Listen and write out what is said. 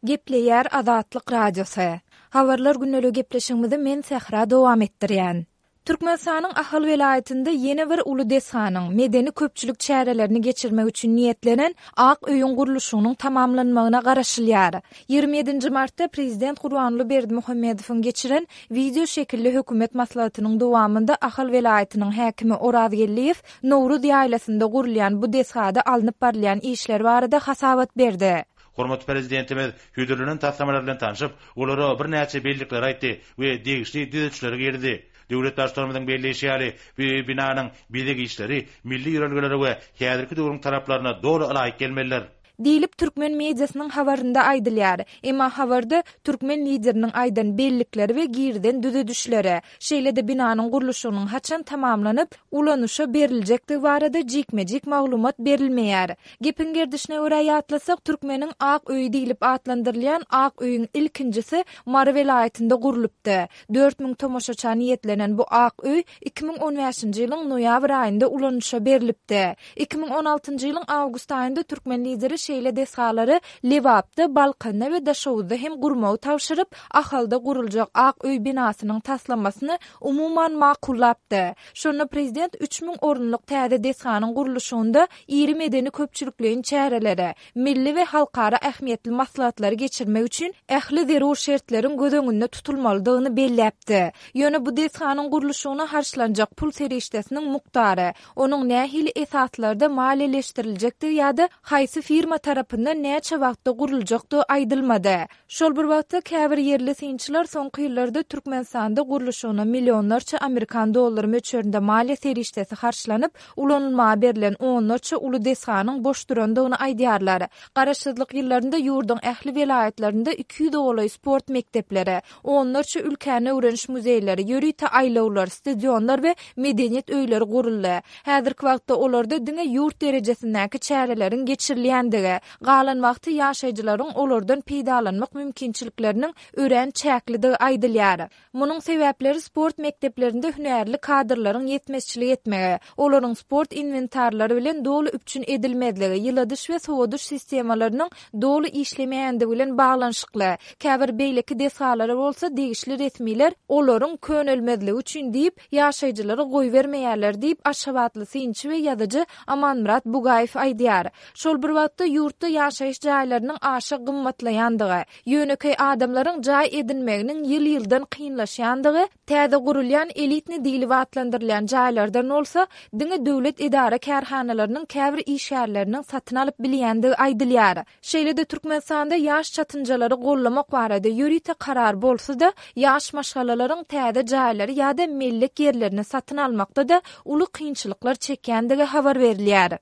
Gepleýär Azatlyk Radiosy. Habarlar gündeligi gepleşigimizi men Sähra dowam etdirýän. Türkmenistanyň Ahal welaýatynda ýene bir uly desganyň, medeni-köpçülik çärelerini geçirmek üçin niýetlenen Ak öýüň gurluşygynyň tamamlanmagyna garaşylýar. 27-nji martda prezident Gurbanguly Berdimuhamedowyň geçiren wideo şekilli hökümet maslahatynyň dowamynda Ahal welaýatynyň häkimi Oraz Geldiýew Nowruz ýaýlasynda gurulýan bu desgada alnyp barylýan işler barada hasabat berdi. Hormatly Prezidentimiz hödürlenen taslamalar bilen tanşyp, olara birnäçe bellikleri aýtdy we degişli düzedişleri girizdi. Döwlet Baştutanymyzyň belleýşi ýaly, bu binanyň bezeg işleri milli ýörelgelere we häzirki döwrüň talaplaryna doly ylaýyk gelmelidir. Diýlip, türkmen mediasynyň habarynda aýdylýar. Emma habarda türkmen Lideriniň aýdan bellikleri we girizen düzedişleri, şeýle-de binanyň gurluşygynyň haçan tamamlanyp, ulanyşa beriljekdigi barada jikme-jik maglumat berilmeýär. Gepiň gerdişine görä ýatlasak, Türkmeniň ak öýi diýlip atlandyrylýan ak öýüň ilkinjisi Mary welaýatynda gurlupdy. 4000 tomaşaça niýetlenen bu ak öý 2015-nji ýylyň noýabr aýynda ulanyşa berlipdi. 2016-njy ýylyň awgust aýynda türkmen Lideri şeýle desgalary Lebapda, Balkanda we Daşoguzda hem gurmagy tabşyryp, Ahalda guruljak ak öý binasynyň taslamasyny umuman makullapdy. Şonda prezident 3000 orunlyk täze desganyň gurluşygynda iri medeni-köpçülikleýin çäreleri, milli we halkara ähmiýetli maslahatlary geçirmek üçin ähli zerur şertleriň göz öňünde tutulmalydygyny belläpdi. Ýöne bu desganyň gurluşygyna harçlanjak pul serişdesiniň mukdary, onuň nähili esaslarda maliýeleşdiriljekdigi ýa-da haýsy firma tarapyndan näçe wagtda guruljakdygy aýdylmady. Şol bir wagtda, käbir ýerli synçylar soňky ýyllarda Türkmenistanda gurluşygyna millionlarça amerikan dollary möçberinde maliýe serişdesi harçlanyp, ulanylmaga berlen onlarça uly desganyň boş durandygyny aýdýarlar. Garaşsyzlyk ýyllarynda ýurduň ähli welaýatlarynda 200 golaý sport mekdepleri, onlarça ülkäni öwreniş muzeýleri, ýörite aýlawlar, stadionlar we medeniýet öýleri guruldy. Häzirki wagtda olarda diňe ýurt derejesindäki çäreleriň geçirilýändigi, galan wagty ýaşaýjylaryň olardan peýdalanmak mümkinçilikleriniň örän çäklidigi aýdylýar. Munuň sebäpleri sport mekdeplerinde hünärli kadrlaryň ýetmezçilik etmegi, olaryň sport inwentarlary bilen doly üpjün edilmezligi, ýyladyş we sowadyş sistemalarynyň doly işlemeýändigi bilen baglanyşykly. Käbir beýleki desgalara bolsa degişli resmiler olaryň könelmezligi üçin diýip, ýaşaýjylary goýbermeýärler diýip, aşgabatly synçy we ýazyjy Amanmyrat Bugaýew aýdýar. Şol bir wagtda, ýurtda ýaşaýyş jaýlarynyň aşa gymmatlaýandygy, ýönekeý adamlaryň jaý edinmeginiň ýyl-ýyldan kynlaşýandygy, täze gurulýan elitni diýlip atlandyrylýan jaýlardan bolsa, diňe döwlet edara-kärhanalarynyň käbir işgärleriniň satyn alyp bilýändigi aýdylýar. Şeýle-de Türkmenistanda ýaş çatynjalary gollamak barada ýörite karar bolsa-da, ýaş maşgalalaryň täze jaýlary ýa-da mellek ýerlerini satyn almakda-da uly kynçylyklar çekýändigi habar berilýär.